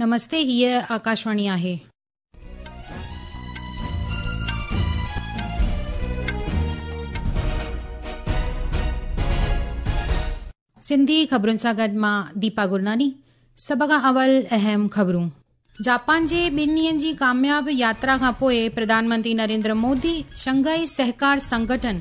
نمستي هيء آڪاشواڻي آهي. سنڌي خبرن سان گڏ مان ديپا گرناني سڀ کان اول اهم خبرون. جاپان جي ٻن ڏينهن جي ڪامياب ياترا کان پوء پرڌان منتري نريندر مودي شنگهائي سهڪار سنگٺن،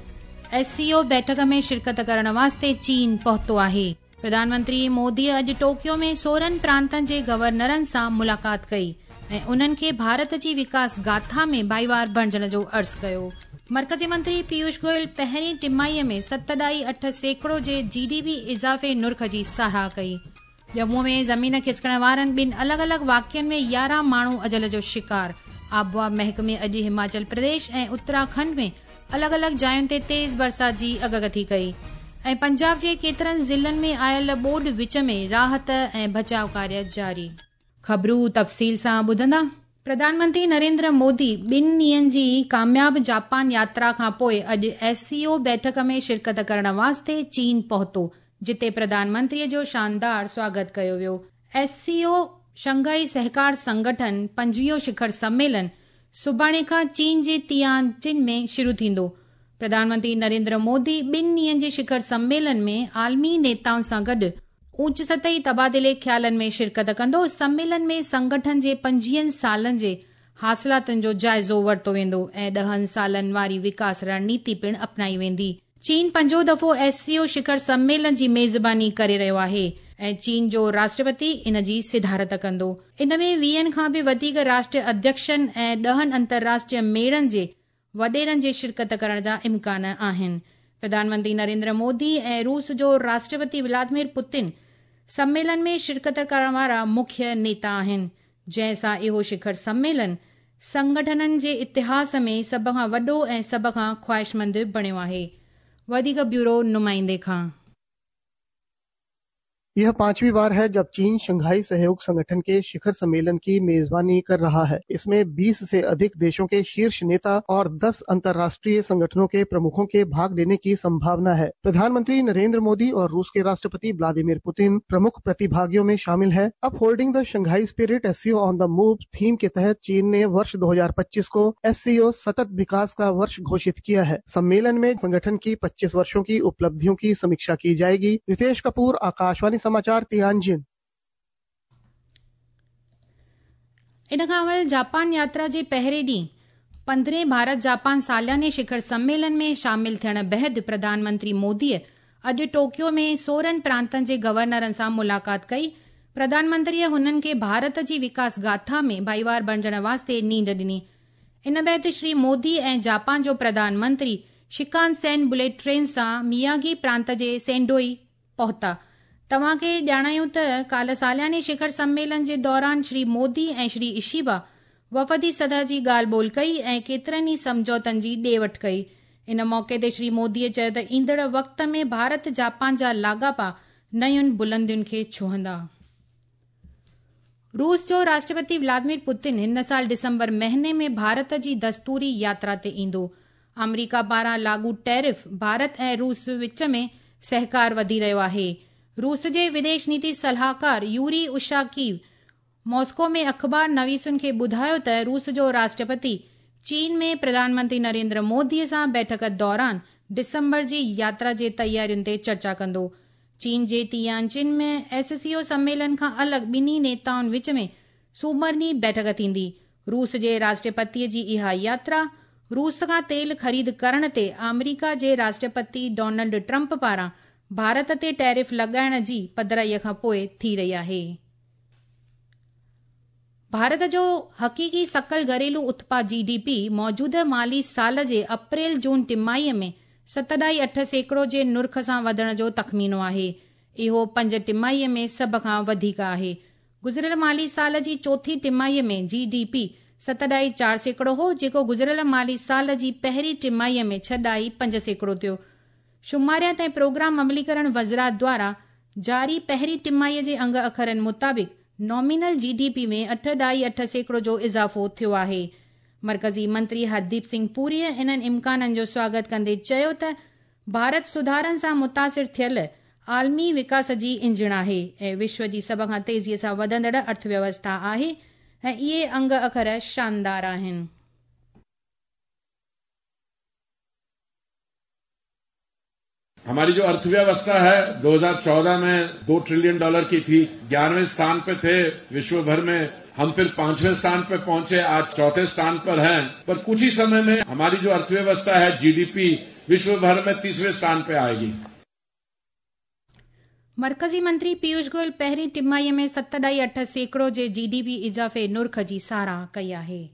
ايس سي او، بيٺڪ ۾ شرڪت ڪرڻ واسطي چين پهتو آهي. پرڌان منتري مودي اڄ ٽوڪيو ۾ 16 پرانتن جي گورنرن سان ملاقات ڪئي ۽ انهن کي ڀارت جي وڪاس گاٿا ۾ ڀائيوار بڻجڻ جو عرض ڪيو. مرڪزي منتري پيوش گويل پهرين ٽماهيء ۾ 7.8% جي جي ڊي پي اضافي نرخ جي ساراهه ڪئي. ڄمون ۾ زمين کسڪڻ وارن ٻن الڳ الڳ واقعن ۾ 11 ماڻهو اجل جو شڪار، آبهوا محڪمي اڄ هماچل پرديش ۽ اترا کنڊ ۾ الڳ الڳ جاين تي تيز برسات جي اڳڪٿي ڪئي ۽ پنجاب جي ڪيترن ضلعن ۾ آيل ٻوڏ وچ ۾ راحت ۽ بچاء ڪاريه جاري. خبرون تفصيل سان ٻڌندا. پرڌان منتري نريندر مودي ٻن ڏينهن جي ڪامياب جاپان ياترا کان پوء اڄ ايس سي او بيٺڪ ۾ شرڪت ڪرڻ واسطي چين پهتو، جتي پرڌان منتري جو شاندار سواگت ڪيو ويو. ايس سي او، شنگهائي سهڪار سنگٺن، پنجويهون شکر سميلن سڀاڻي کان چين جي تيان جن ۾ شروع ٿيندو. پرڌان منتري نريندر مودي ٻن ڏينهن جي شکر سميلن ۾ عالمي نيتائن سان گڏ اوچ سطحي تبادلي خيالن ۾ شرڪت ڪندو، سميلن ۾ سنگٺن جي 25 سالن جي حاصلاتن جو جائزو ورتو ويندو ۽ 10 سالن واري وڪاس رڻنيتي پڻ اپنائي ويندي. چين پنجون دفعو ايس سي او شکر سميلن جي ميزباني ڪري رهيو آهي ۽ چين جو راشٽرپتي ان جي صدارت ڪندو. ان ۾ 20 کان به وڌيڪ راشٽر اڌيڪشن ۽ 10 انترراشٽريه ميڙن جي وڏيرن جي شرڪت ڪرڻ جا امڪان آهن. پرڌان منتري نريندر مودي ۽ روس جو راشٽرپتي ولادمير پوتن سميلن ۾ شرڪت ڪرڻ وارا مکيه نيتا آهن، جنهن سان اهو شکر سميلن سنگٺنن جي اتهاس ۾ سڀ کان وڏو ۽ سڀ کان خواهشمند بڻيو آهي. وڌيڪ بيورو نمائندي کان. यह पांचवीं बार है जब चीन शंघाई सहयोग संगठन के शिखर सम्मेलन की मेजबानी कर रहा है। इसमें 20 से अधिक देशों के शीर्ष नेता और 10 अंतर्राष्ट्रीय संगठनों के प्रमुखों के भाग लेने की संभावना है। प्रधानमंत्री नरेंद्र मोदी और रूस के राष्ट्रपति व्लादिमीर पुतिन प्रमुख प्रतिभागियों में शामिल है। Upholding the Shanghai spirit SCO on the move theme के तहत चीन ने वर्ष 2025 को एससीओ सतत विकास का वर्ष घोषित किया है। सम्मेलन में संगठन की 25 वर्षों की उपलब्धियों की समीक्षा की जाएगी। रितेश कपूर, आकाशवाणी समाचार, तियानजिन। ان کان اول جاپان ياترا جي پهرين ڏينهن 15هين ڀارت جاپان سالياني شکر سميلن ۾ شامل ٿيڻ بعد پرڌان منتري موديء اڄ ٽوڪيو ۾ 16 پرانتن جي گورنرن سان ملاقات ڪئي. پرڌان منتريء هنن کي ڀارت جي وڪاس گاٿا ۾ ڀائيوار بڻجڻ واسطي نينڍ ڏني. ان بعد شري مودي ۽ جاپان جو پرڌان منتري شڪان سين بليٽ ٽرين سان مياگي پرانت جي سينڊوئي پهتا. توهان کي ڄاڻايون ته ڪالهه سالياني شکر سميلن جي دوران شري مودي ۽ شري اشيبا وفدي سطح جي ڳالهه ٻولهه ڪئي ۽ ڪيترن ئي سمجهوتن جي ڏي وٺ ڪئي. ان موقعي تي شري مودي چيو ته ايندڙ وقت ۾ ڀارت جاپان جا لاڳاپا نين بلندين کي ڇهندا. روس جو راشٽرپتي ولادمير پوتن هن سال ڊسمبر مهيني ۾ ڀارت جي دستوري ياترا تي ايندو. آمريڪا پاران لاڳو ٽيرف ڀارت ۽ روس وچ ۾ سهڪار وڌي رهيو آهي. روس جي وديش نيتي صلاحڪار يوري اوشاڪيو ماسڪو ۾ اخبار نويسن کي ٻڌايو ته روس جو راشٽرپتي چين ۾ پرڌان منتري نريندر مودي سان بيٺڪ دوران ڊسمبر جي ياترا جي تيارين تي چرچا ڪندو. چين جي تيانجن ۾ ايس سي او سميلن کان الڳ ٻنهي نيتائن وچ ۾ سومر ڏينهن بيٺڪ ٿيندي. روس جي راشٽرپتي جي اها ياترا روس کان تيل خريد ڪرڻ تي آمريڪا جي راشٽرپتي ڊونلڊ ٽرمپ پاران ڀارت تي ٽيرف لڳائڻ جي پڌرائي کان پوء ٿي رهي آهي. ڀارت جو حقيقي سڪل گهريلو اتپاد، جي ڊي پي، موجوده مالي سال جي اپريل جون ٽماهي ۾ 7.8% جي نرخ سان وڌڻ جو تخمينو آهي. اهو پنج ٽماهي ۾ سڀ کان وڌيڪ آهي. گذريل مالي سال جي چوٿين ٽماهي ۾ جي ڊي پي 7.4% هو، جيڪو گذريل مالي سال جي پهرين ٽماهي ۾ 6.5% ٿيو. شماريات ۽ پروگرام عمليڪرڻ وزارت دواران جاري پهرين ٽماهي جي انگ اکرن مطابق نامينل جي ڊي پي ۾ 8.8% جو اضافو ٿيو آهي. مرڪزي منتري هرديپ سنگهه پوريء انهن امڪانن جو سواگت ڪندي چيو ته ڀارت سڌارن سان متاثر ٿيل عالمي وڪاس جي انجڻ آهي ۽ وشو جي سڀ کان تيزيء سان وڌندڙ ارٿويوسٿا آهي ۽ اهي انگ اکر شاندار آهن. हमारी जो अर्थव्यवस्था है 2014 में 2 ट्रिलियन डॉलर की थी, 11वें स्थान पे थे विश्व भर में, हम फिर 5वें स्थान पे पहुंचे, आज चौथे स्थान पर हैं। पर कुछ ही समय में हमारी जो अर्थव्यवस्था है, जीडीपी विश्व भर में 3रे स्थान पे आएगी। मरकज़ी मंत्री पीयूष गोयल पहिरीं टिमाहीअ में 7.8% जे जीडीपी इज़ाफ़े नुर्ख जी साराह कई आहे।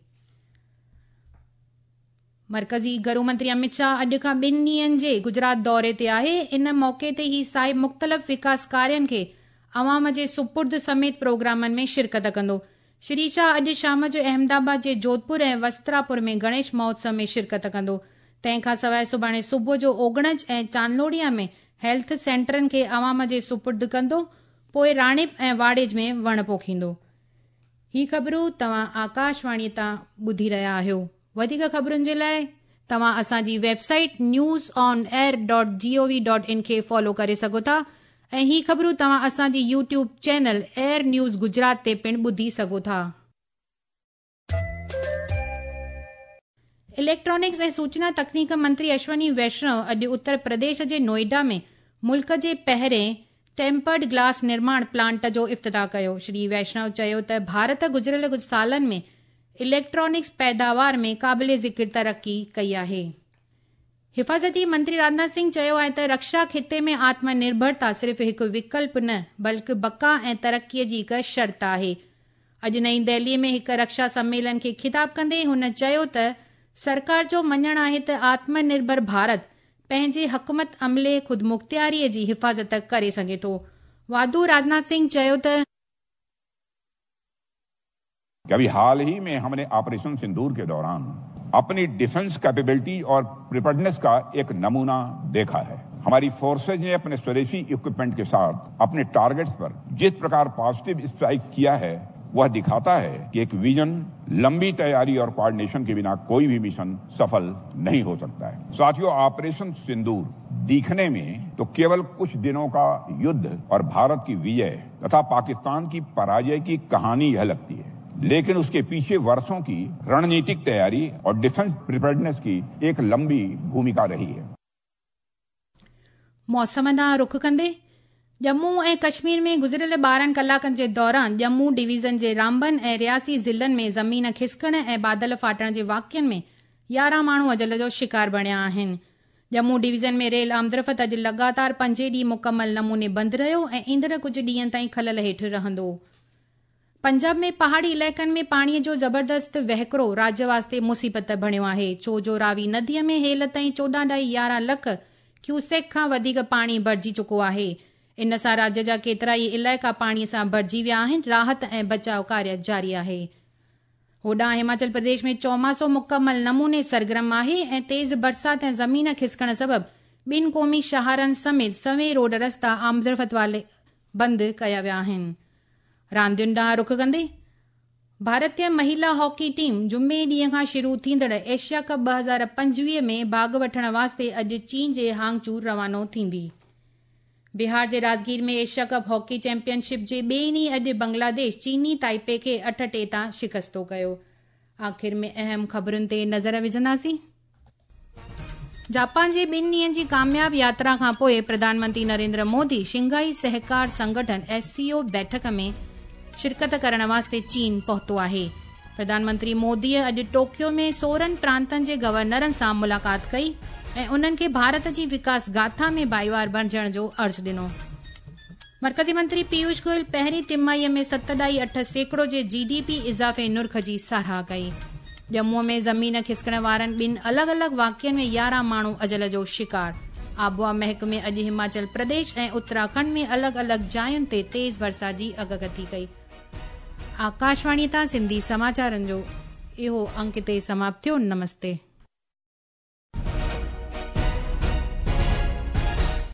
मरकज़ी घरू मंत्री अमित शाह अॼु खां ॿिनि ॾींहंनि जे गुजरात दौरे ते आहे। इन मौक़े ते ही साहिब मुख़्तलिफ़ विकास कार्यनि खे अवाम जे सुपुर्द समेत प्रोग्रामनि में शिरकत कंदो। श्री शाह अॼु शाम जो अहमदाबाद जे जोधपुर ऐं वस्त्रापुर में गणेश महोत्सव में शिरकत कंदो। तंहिंखां सवाइ सुभाणे सुबुह जो ओगणज ऐं चांदलोडिया में हेल्थ सेंटरनि खे अवाम जे सुपुर्द कंदो, पोइ राणिप ऐं वाड़ेज में वण पोखींदो। ही ख़बरूं तव्हां आकाशवाणी तां ॿुधी रहिया आहियो। वधीक ख़बरुनि जे लाइ तव्हां असांजी वेबसाइट newsonair.gov.in खे फॉलो करे सघो था ऐं ही ख़बरूं तव्हां असांजी YouTube channel air news Gujarat ते पिणु ॿुधी सघो था। इलेक्ट्रॉनिक्स ऐं सूचना तकनीक मंत्री अश्वनी वैष्णव अॼु उत्तर प्रदेश जे नोएडा में मुल्क जे पहिरें टेम्पर्ड ग्लास निर्माण प्लांट जो इफ्तिताह कयो। श्री वैष्णव चयो त भारत गुज़िरियल कुझु सालनि में इलेक्ट्रॉनिक्स पैदावार में क़ाबिल ज़िक्र तरक़ी कई आहे। हिफाज़ती मंत्री राजनाथ सिंह चयो आहे त रक्षा ख़िते में आत्मनिर्भरता सिर्फ़ हिकु विकल्प न बल्कि बक़ा ऐं तरक़ीअ जी हिकु शर्त आहे। अॼु नई दिल्लीअ में हिकु रक्षा सम्मेलन खे ख़िताब कंदे हुन चयो त सरकार जो मञणु आहे त आत्मनिर्भर भारत पंहिंजे हुकूमत अमले ख़ुदमुख़्तियारीअ जी हिफाज़त करे सघे थो। वाधू राजनाथ सिंह चयो त अभी हाल ही में हमने ऑपरेशन सिंदूर के दौरान अपनी डिफेंस कैपेबिलिटी और प्रिपेयर्डनेस का एक नमूना देखा है। हमारी फोर्सेज ने अपने स्वदेशी इक्विपमेंट के साथ अपने टारगेट्स पर जिस प्रकार पॉजिटिव स्ट्राइक किया है, वह दिखाता है कि एक विजन, लंबी तैयारी और कोऑर्डिनेशन के बिना कोई भी मिशन सफल नहीं हो सकता है। साथियों, ऑपरेशन सिंदूर दिखने में तो केवल कुछ दिनों का युद्ध और भारत की विजय तथा पाकिस्तान की पराजय की कहानी यह लगती है, लेकिन उसके पीछे वर्षों की रणनीतिक तैयारी और डिफेंस प्रिपेयर्डनेस की एक लंबी भूमिका रही है। मौसम ॾांहुं रुख कंदे जम्मू ऐं कश्मीर में गुज़िरियल 12 कलाकनि जे दौरान जम्मू डिवीज़न जे रामबन ऐं रियासी ज़िलनि में ज़मीन खिसकण ऐं बादल फाटण जे वाक़िअनि में 11 माण्हू अजल जो शिकार बणिया आहिनि। जम्मू डिवीज़न में रेल आमदरफ़्त अॼु लगातार पंजे ॾींहुं मुकमल नमूने बंदि रहियो ऐं ईंदड़ कुझु ॾींहंनि ताईं ख़लल हेठि रहंदो। पंजाब में पहाड़ी इलाइक़नि में पाणीअ जो ज़बरदस्त वहिकरो राज्य वास्ते मुसीबत बणियो आहे, छो जो रावी नदीअ में हेल ताईं 14.11 लख क्यूसेक खां वधीक पाणी भरिजी चुको आहे। इन सां राज्य जा केतिरा ई इलाइक़ा पाणीअ सां भरिजी विया आहिनि। राहत ऐं बचाव कार्य जारी आहे। होॾां हिमाचल प्रदेश में चौमासो मुकमल नमूने सरगर्म आहे ऐं तेज़ बरसात ऐं ज़मीन खिसकण सबबु ॿिनि क़ौमी शहरनि समेत सवें रोड रस्ता आमदरफ़्त वारे बंदि कया विया आहिनि। रांदियुनि ॾांहुं रुख कंदे भारतीय महिला हॉकी टीम जुमे ॾींहं खां शुरू थींदड़ एशिया कप 2025 में भाॻ वठण वास्ते अॼु चीन जे हांगझू रवानो थींदी। बिहार जे राजगीर में एशिया कप हॉकी चैंपियनशिप जे ॿिए ॾींहुं अॼु बांग्लादेश चीनी ताइपे खे 8-3 तां शिकस्तो कयो। आख़िर में अहम ख़बरुनि ते नज़र विझंदासीं। जापान जे ॿिनि ॾींहंनि जी कामयाब यात्रा खां पोइ प्रधानमंत्री नरेंद्र मोदी शंघाई सहकार संगठन SCO बैठक में शिरकत करण वास्ते चीन पहुतो आहे। प्रधानमंत्री मोदीअ अॼु टोक्यो में 16 प्रांतनि जे गवर्नरनि सां मुलाक़ात कई ऐं उन्हनि खे भारत जी विकास गाथा में भाईवार बणिजण जो अर्ज़ ॾिनो। मरकज़ी मंत्री पीयूष गोयल पहिरीं टिमाहीअ में 7.8% जे जीडीपी इज़ाफ़े नुर्ख जी साराह कई। जम्मूअ में ज़मीन खिसकण वारनि ॿिनि अलॻि अलॻि वाक़िअनि में 11 माण्हू अजल जो शिकार। आबोहवा महकमे अॼु हिमाचल प्रदेश ऐं उत्तराखंड में अलॻि अलॻि जायुनि ते तेज़ बरसात जी अॻकथी कई। आकाशवाणी तां सिंधी समाचारनि जो इहो अंक हिते समाप्त थियो। नमस्ते।